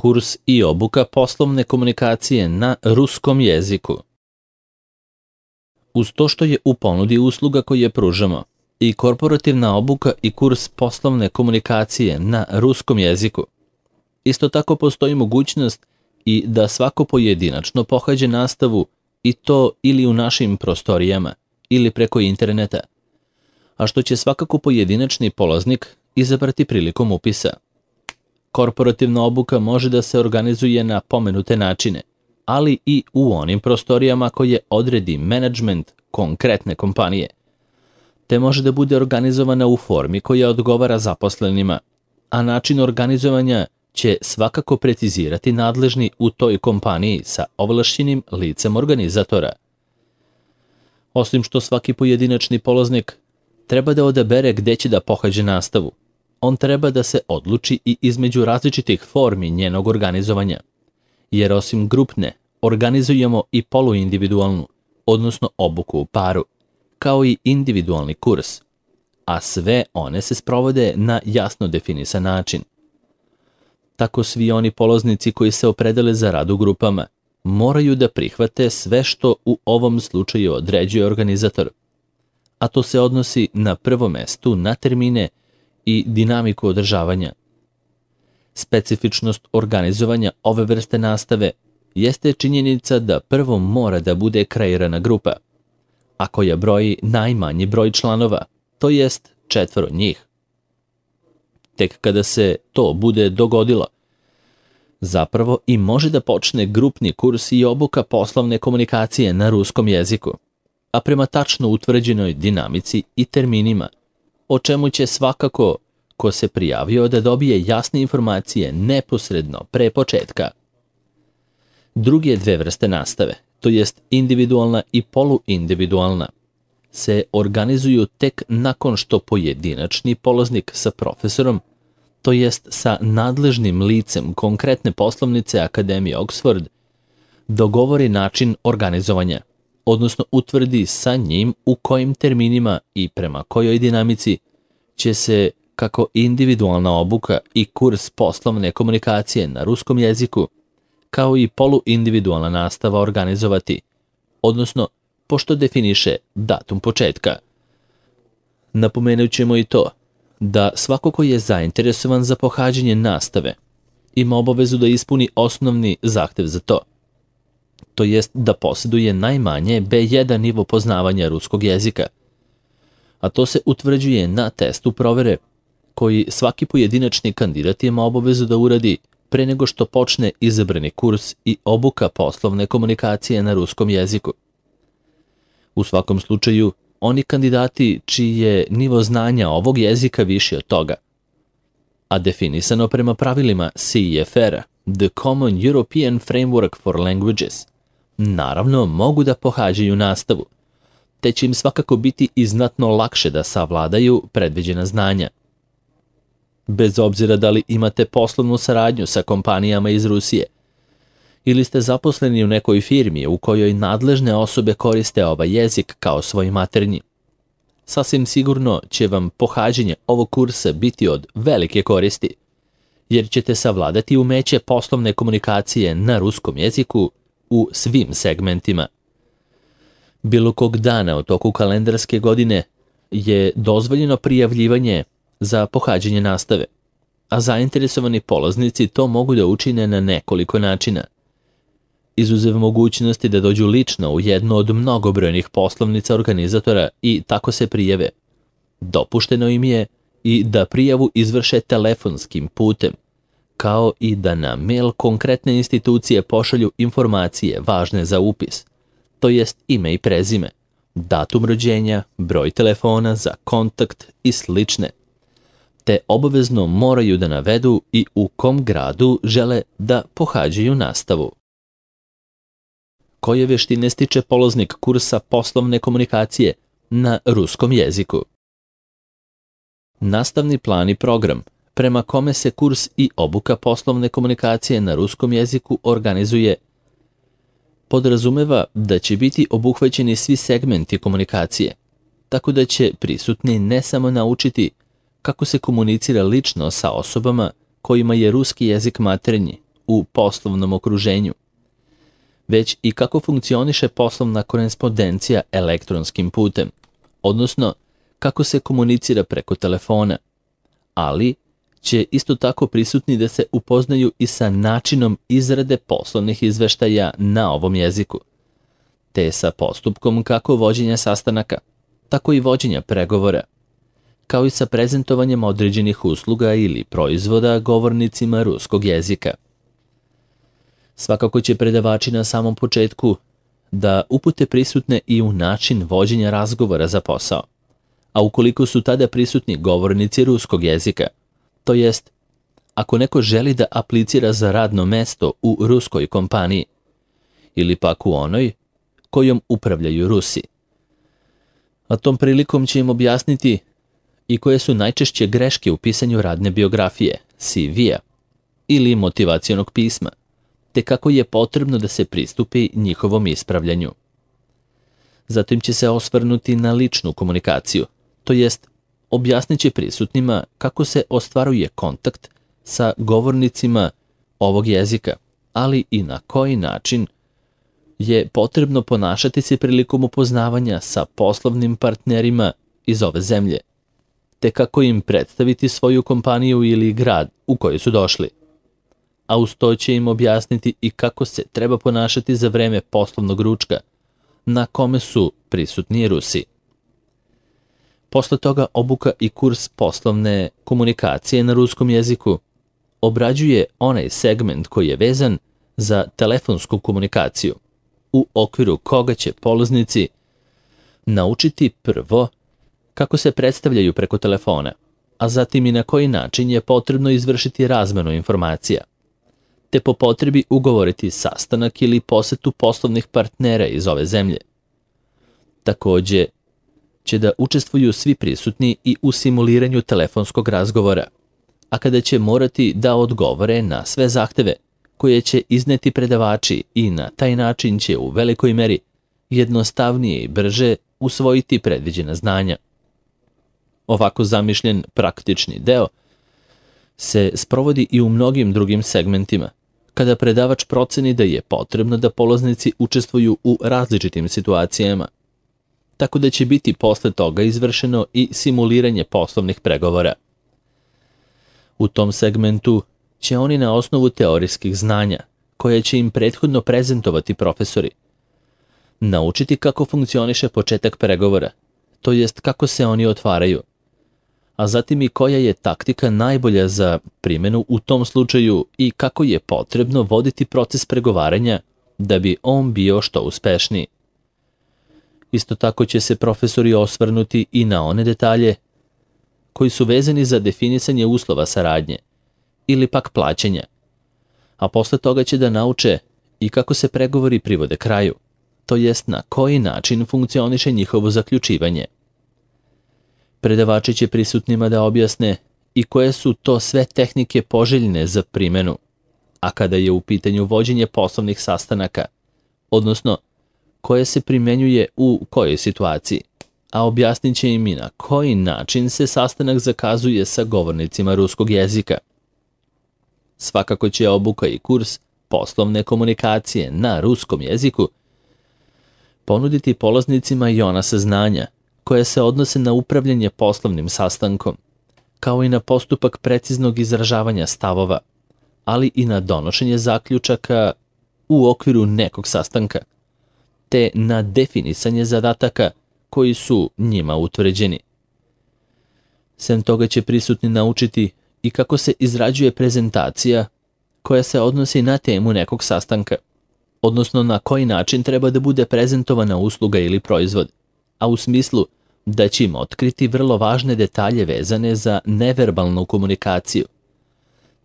kurs i obuka poslovne komunikacije na ruskom jeziku. Uz to što je u ponudi usluga koje pružamo i korporativna obuka i kurs poslovne komunikacije na ruskom jeziku, isto tako postoji mogućnost i da svako pojedinačno pohađa nastavu i to ili u našim prostorijama ili preko interneta, a što će svakako pojedinačni polaznik izabrati prilikom upisa. Korporativna obuka može da se organizuje na pomenute načine, ali i u onim prostorijama koje odredi menadžment konkretne kompanije, te može da bude organizovana u formi koja odgovara zaposlenima, a način organizovanja će svakako precizirati nadležni u toj kompaniji sa ovlašćenim licem organizatora. Osim što svaki pojedinačni polaznik treba da odabere gde će da pohađa nastavu, on treba da se odluči i između različitih formi njenog organizovanja, jer osim grupne organizujemo i poluindividualnu, odnosno obuku u paru, kao i individualni kurs, a sve one se sprovode na jasno definisan način. Tako svi oni polaznici koji se opredele za rad u grupama moraju da prihvate sve što u ovom slučaju određuje organizator, a to se odnosi na prvom mestu na termine i dinamiku održavanja. Specifičnost organizovanja ove vrste nastave jeste činjenica da prvo mora da bude kreirana grupa, a koja broji najmanji broj članova, to jest 4 njih. Tek kada se to bude dogodilo, zapravo i može da počne grupni kurs i obuka poslovne komunikacije na ruskom jeziku, a prema tačno utvrđenoj dinamici i terminima, o čemu će svakako ko se prijavio da dobije jasne informacije neposredno pre početka. Druge dve vrste nastave, to jest individualna i poluindividualna, se organizuju tek nakon što pojedinačni polaznik sa profesorom, to jest sa nadležnim licem konkretne poslovnice Akademije Oxford, dogovori način organizovanja, odnosno utvrdi sa njim u kojim terminima i prema kojoj dinamici će se kako individualna obuka i kurs poslovne komunikacije na ruskom jeziku, kao i poluindividualna nastava organizovati, odnosno pošto definiše datum početka. Napomenut ćemo i to da svako ko je zainteresovan za pohađanje nastave ima obavezu da ispuni osnovni zahtev za to, to jest da posjeduje najmanje B1 nivo poznavanja ruskog jezika, a to se utvrđuje na testu provere koji svaki pojedinačni kandidat ima obavezu da uradi pre nego što počne izabrani kurs i obuka poslovne komunikacije na ruskom jeziku. U svakom slučaju, oni kandidati čiji je nivo znanja ovog jezika viši od toga, a definisano prema pravilima CEFR, The Common European Framework for Languages, naravno mogu da pohađaju nastavu, te će im svakako biti i znatno lakše da savladaju predviđena znanja. Bez obzira da li imate poslovnu saradnju sa kompanijama iz Rusije ili ste zaposleni u nekoj firmi u kojoj nadležne osobe koriste ovaj jezik kao svoj maternji, sasvim sigurno će vam pohađanje ovog kursa biti od velike koristi, jer ćete savladati umeće poslovne komunikacije na ruskom jeziku u svim segmentima. Bilo kog dana u toku kalendarske godine je dozvoljeno prijavljivanje za pohađanje nastave, a zainteresovani polaznici to mogu da učine na nekoliko načina. Izuzev mogućnosti da dođu lično u jednu od mnogobrojnih poslovnica organizatora i tako se prijave, dopušteno im je i da prijavu izvrše telefonskim putem, kao i da na mail konkretne institucije pošalju informacije važne za upis, to jest ime i prezime, datum rođenja, broj telefona za kontakt i slične, te obavezno moraju da navedu i u kom gradu žele da pohađaju nastavu. Koje veštine stiče polaznik kursa poslovne komunikacije na ruskom jeziku? Nastavni plan i program prema kome se kurs i obuka poslovne komunikacije na ruskom jeziku organizuje podrazumeva da će biti obuhvaćeni svi segmenti komunikacije, tako da će prisutni ne samo naučiti kako se komunicira lično sa osobama kojima je ruski jezik maternji, u poslovnom okruženju, već i kako funkcioniše poslovna korespondencija elektronskim putem, odnosno kako se komunicira preko telefona, ali će isto tako prisutni da se upoznaju i sa načinom izrade poslovnih izveštaja na ovom jeziku, te sa postupkom kako vođenja sastanaka, tako i vođenja pregovora, kao i sa prezentovanjem određenih usluga ili proizvoda govornicima ruskog jezika. Svakako će predavači na samom početku da upute prisutne i u način vođenja razgovora za posao, a ukoliko su tada prisutni govornici ruskog jezika, to jest, ako neko želi da aplicira za radno mesto u ruskoj kompaniji ili pak u onoj kojom upravljaju Rusi. A tom prilikom će im objasniti i koje su najčešće greške u pisanju radne biografije, CV-a ili motivacionog pisma, te kako je potrebno da se pristupi njihovom ispravljanju. Zatim će se osvrnuti na ličnu komunikaciju, to jest objasnit će prisutnima kako se ostvaruje kontakt sa govornicima ovog jezika, ali i na koji način je potrebno ponašati se prilikom upoznavanja sa poslovnim partnerima iz ove zemlje, te kako im predstaviti svoju kompaniju ili grad u koji su došli. A uz to će im objasniti i kako se treba ponašati za vreme poslovnog ručka, na kome su prisutni Rusi. Posle toga obuka i kurs poslovne komunikacije na ruskom jeziku obrađuje onaj segment koji je vezan za telefonsku komunikaciju, u okviru koga će polaznici naučiti prvo kako se predstavljaju preko telefona, a zatim i na koji način je potrebno izvršiti razmenu informacija, te po potrebi ugovoriti sastanak ili posetu poslovnih partnera iz ove zemlje. Takođe će da učestvuju svi prisutni i u simuliranju telefonskog razgovora, a kada će morati da odgovore na sve zahteve koje će izneti predavači i na taj način će u velikoj meri jednostavnije i brže usvojiti predviđena znanja. Ovako zamišljen praktični deo se sprovodi i u mnogim drugim segmentima, kada predavač proceni da je potrebno da polaznici učestvuju u različitim situacijama, tako da će biti posle toga izvršeno i simuliranje poslovnih pregovora. U tom segmentu će oni na osnovu teorijskih znanja, koje će im prethodno prezentovati profesori, naučiti kako funkcioniše početak pregovora, to jest kako se oni otvaraju, a zatim i koja je taktika najbolja za primjenu u tom slučaju i kako je potrebno voditi proces pregovaranja da bi on bio što uspešniji. Isto tako će se profesori osvrnuti i na one detalje koji su vezani za definisanje uslova saradnje ili pak plaćanja, a posle toga će da nauče i kako se pregovori privode kraju, to jest na koji način funkcioniše njihovo zaključivanje. Predavači će prisutnima da objasne i koje su to sve tehnike poželjne za primjenu, a kada je u pitanju vođenje poslovnih sastanaka, odnosno koje se primenjuje u kojoj situaciji, a objasnit će im i na koji način se sastanak zakazuje sa govornicima ruskog jezika. Svakako će obuka i kurs poslovne komunikacije na ruskom jeziku ponuditi polaznicima i ona saznanja koje se odnose na upravljanje poslovnim sastankom, kao i na postupak preciznog izražavanja stavova, ali i na donošenje zaključaka u okviru nekog sastanka, te na definisanje zadataka koji su njima utvrđeni. Sem toga će prisutni naučiti i kako se izrađuje prezentacija koja se odnosi na temu nekog sastanka, odnosno na koji način treba da bude prezentovana usluga ili proizvod, a u smislu da će im otkriti vrlo važne detalje vezane za neverbalnu komunikaciju,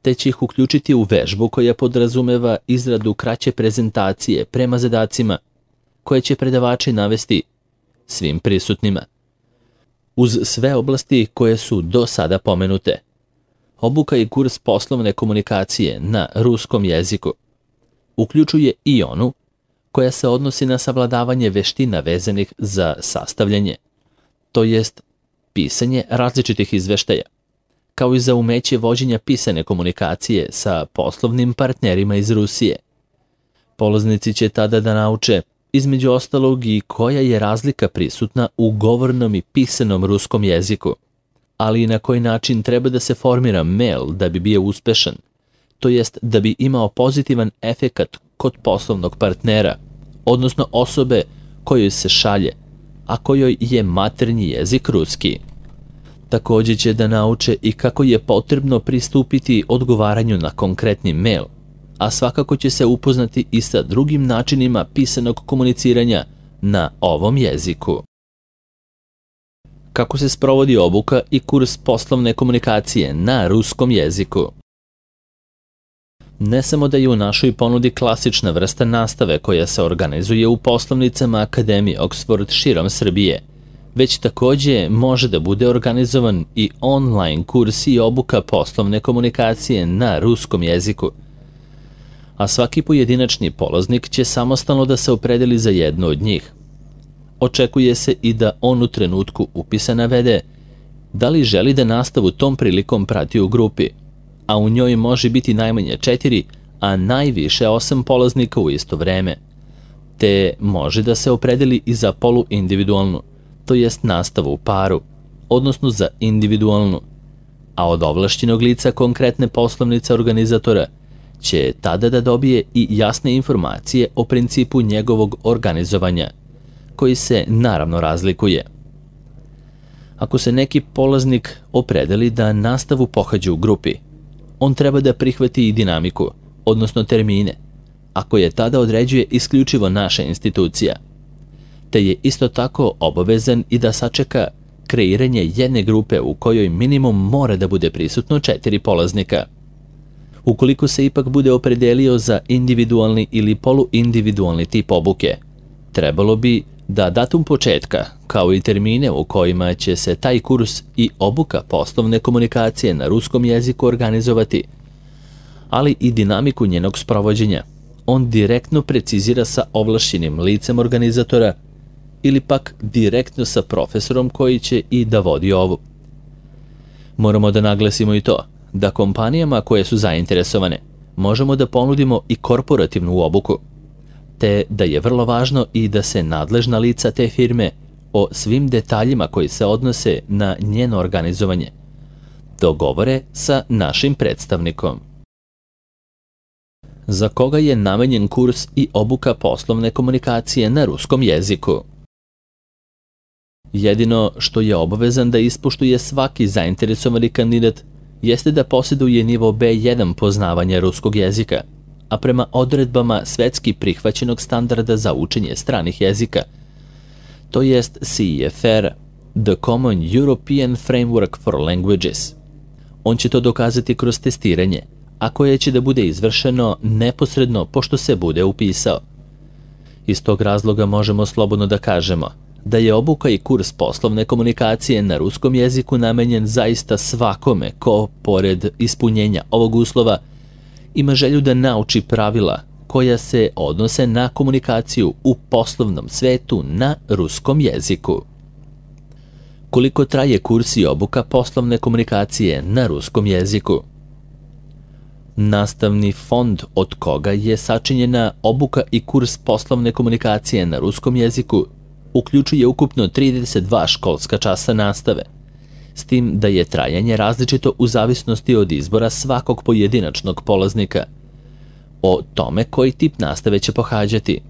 te će ih uključiti u vežbu koja podrazumeva izradu kraće prezentacije prema zadacima koje će predavači navesti svim prisutnima. Uz sve oblasti koje su do sada pomenute, obuka i kurs poslovne komunikacije na ruskom jeziku uključuje i onu koja se odnosi na savladavanje veština vezanih za sastavljanje, to jest pisanje različitih izveštaja, kao i za umeće vođenja pisane komunikacije sa poslovnim partnerima iz Rusije. Polaznici će tada da nauče, između ostalog, i koja je razlika prisutna u govornom i pisanom ruskom jeziku, ali i na koji način treba da se formira mail da bi bio uspešan, to jest da bi imao pozitivan efekat kod poslovnog partnera, odnosno osobe kojoj se šalje, a kojoj je maternji jezik ruski. Također će da nauče i kako je potrebno pristupiti odgovaranju na konkretni mail, a svakako će se upoznati i sa drugim načinima pisanog komuniciranja na ovom jeziku. Kako se sprovodi obuka i kurs poslovne komunikacije na ruskom jeziku? Ne samo da je u našoj ponudi klasična vrsta nastave koja se organizuje u poslovnicama Akademije Oxford širom Srbije, već također može da bude organizovan i online kurs i obuka poslovne komunikacije na ruskom jeziku. A svaki pojedinačni polaznik će samostalno da se opredeli za jednu od njih. Očekuje se i da on u trenutku upisa navede da li želi da nastavu tom prilikom prati u grupi, a u njoj može biti najmanje 4, a najviše 8 polaznika u isto vreme, te može da se opredeli i za poluindividualnu, to jest nastavu u paru, odnosno za individualnu, a od ovlašćenog lica konkretne poslovnice organizatora će tada da dobije i jasne informacije o principu njegovog organizovanja, koji se naravno razlikuje. Ako se neki polaznik opredeli da nastavu pohađa u grupi, on treba da prihvati i dinamiku, odnosno termine, a koje tada određuje isključivo naša institucija, te je isto tako obavezan i da sačeka kreiranje jedne grupe u kojoj minimum mora da bude prisutno 4 polaznika. Ukoliko se ipak bude opredelio za individualni ili poluindividualni tip obuke, trebalo bi da datum početka, kao i termine u kojima će se taj kurs i obuka poslovne komunikacije na ruskom jeziku organizovati, ali i dinamiku njenog sprovođenja, on direktno precizira sa ovlašćenim licem organizatora ili pak direktno sa profesorom koji će i da vodi ovu. Moramo da naglasimo i to da kompanijama koje su zainteresovane možemo da ponudimo i korporativnu obuku, te da je vrlo važno i da se nadležna lica te firme o svim detaljima koji se odnose na njeno organizovanje dogovore sa našim predstavnikom. Za koga je namenjen kurs i obuka poslovne komunikacije na ruskom jeziku? Jedino što je obavezan da ispoštuje svaki zainteresovani kandidat jeste da posjeduje nivo B1 poznavanja ruskog jezika, a prema odredbama svetski prihvaćenog standarda za učenje stranih jezika, to jest CEFR, The Common European Framework for Languages. On će to dokazati kroz testiranje, a koje će da bude izvršeno neposredno pošto se bude upisao. Iz tog razloga možemo slobodno da kažemo da je obuka i kurs poslovne komunikacije na ruskom jeziku namenjen zaista svakome ko, pored ispunjenja ovog uslova, ima želju da nauči pravila koja se odnose na komunikaciju u poslovnom svetu na ruskom jeziku. Koliko traje kurs i obuka poslovne komunikacije na ruskom jeziku? Nastavni fond od koga je sačinjena obuka i kurs poslovne komunikacije na ruskom jeziku uključuje ukupno 32 školska časa nastave, s tim da je trajanje različito u zavisnosti od izbora svakog pojedinačnog polaznika, o tome koji tip nastave će pohađati.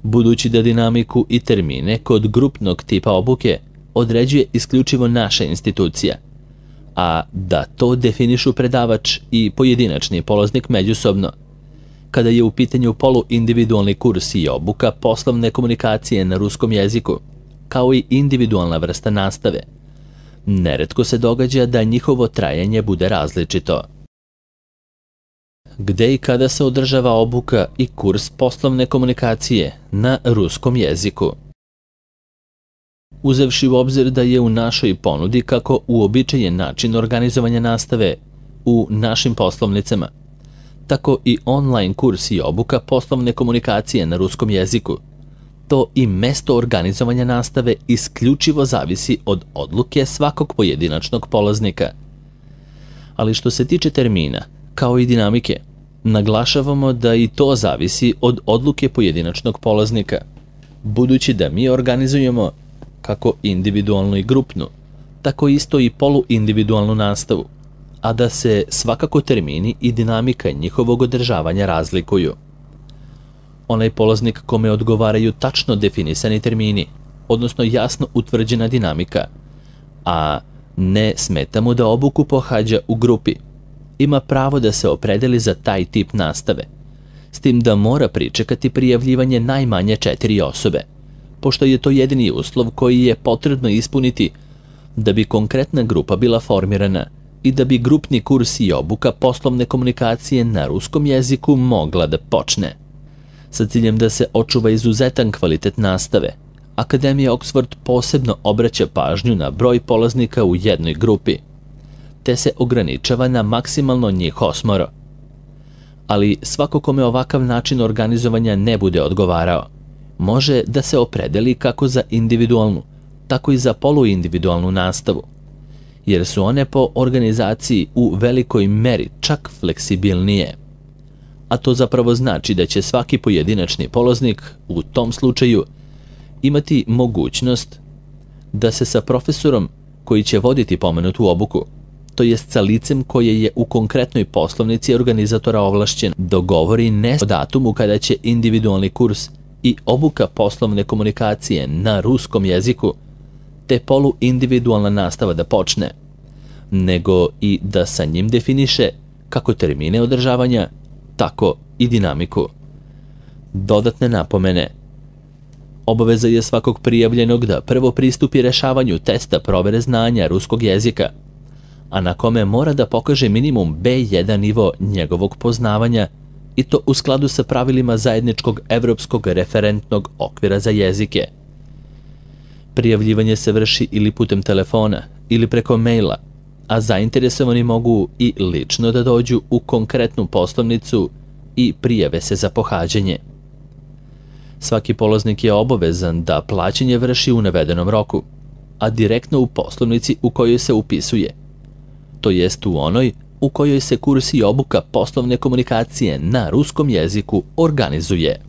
Budući da dinamiku i termine kod grupnog tipa obuke određuje isključivo naša institucija, a da to definišu predavač i pojedinačni polaznik međusobno, kada je u pitanju poluindividualni kurs i obuka poslovne komunikacije na ruskom jeziku, kao i individualna vrsta nastave, neretko se događa da njihovo trajanje bude različito. Gde i kada se održava obuka i kurs poslovne komunikacije na ruskom jeziku? Uzevši u obzir da je u našoj ponudi kako uobičajen način organizovanja nastave u našim poslovnicama, tako i online kurs i obuka poslovne komunikacije na ruskom jeziku, to i mesto organizovanja nastave isključivo zavisi od odluke svakog pojedinačnog polaznika. Ali što se tiče termina, kao i dinamike, naglašavamo da i to zavisi od odluke pojedinačnog polaznika, budući da mi organizujemo kako individualnu i grupnu, tako isto i poluindividualnu nastavu, a da se svakako termini i dinamika njihovog održavanja razlikuju. Onaj polaznik kome odgovaraju tačno definisani termini, odnosno jasno utvrđena dinamika, a ne smeta mu da obuku pohađa u grupi, ima pravo da se opredeli za taj tip nastave, s tim da mora pričekati prijavljivanje najmanje 4 osobe, pošto je to jedini uslov koji je potrebno ispuniti da bi konkretna grupa bila formirana i da bi grupni kurs i obuka poslovne komunikacije na ruskom jeziku mogla da počne. Sa ciljem da se očuva izuzetan kvalitet nastave, Akademija Oxford posebno obraća pažnju na broj polaznika u jednoj grupi, te se ograničava na maksimalno njih 8. Ali svako kome ovakav način organizovanja ne bude odgovarao, može da se opredeli kako za individualnu, tako i za poluindividualnu nastavu, jer su one po organizaciji u velikoj meri čak fleksibilnije. A to zapravo znači da će svaki pojedinačni polaznik u tom slučaju imati mogućnost da se sa profesorom koji će voditi pomenutu obuku, to jest sa licem koje je u konkretnoj poslovnici organizatora ovlašćen, dogovori ne o datumu kada će individualni kurs i obuka poslovne komunikacije na ruskom jeziku te poluindividualna nastava da počne, nego i da sa njim definiše kako termine održavanja, tako i dinamiku. Dodatne napomene. Obaveza je svakog prijavljenog da prvo pristupi rešavanju testa provere znanja ruskog jezika, a na kome mora da pokaže minimum B1 nivo njegovog poznavanja, i to u skladu sa pravilima zajedničkog evropskog referentnog okvira za jezike. Prijavljivanje se vrši ili putem telefona ili preko maila, a zainteresovani mogu i lično da dođu u konkretnu poslovnicu i prijave se za pohađanje. Svaki polaznik je obavezan da plaćanje vrši u navedenom roku, a direktno u poslovnici u kojoj se upisuje, to jest u onoj u kojoj se kurs i obuka poslovne komunikacije na ruskom jeziku organizuje.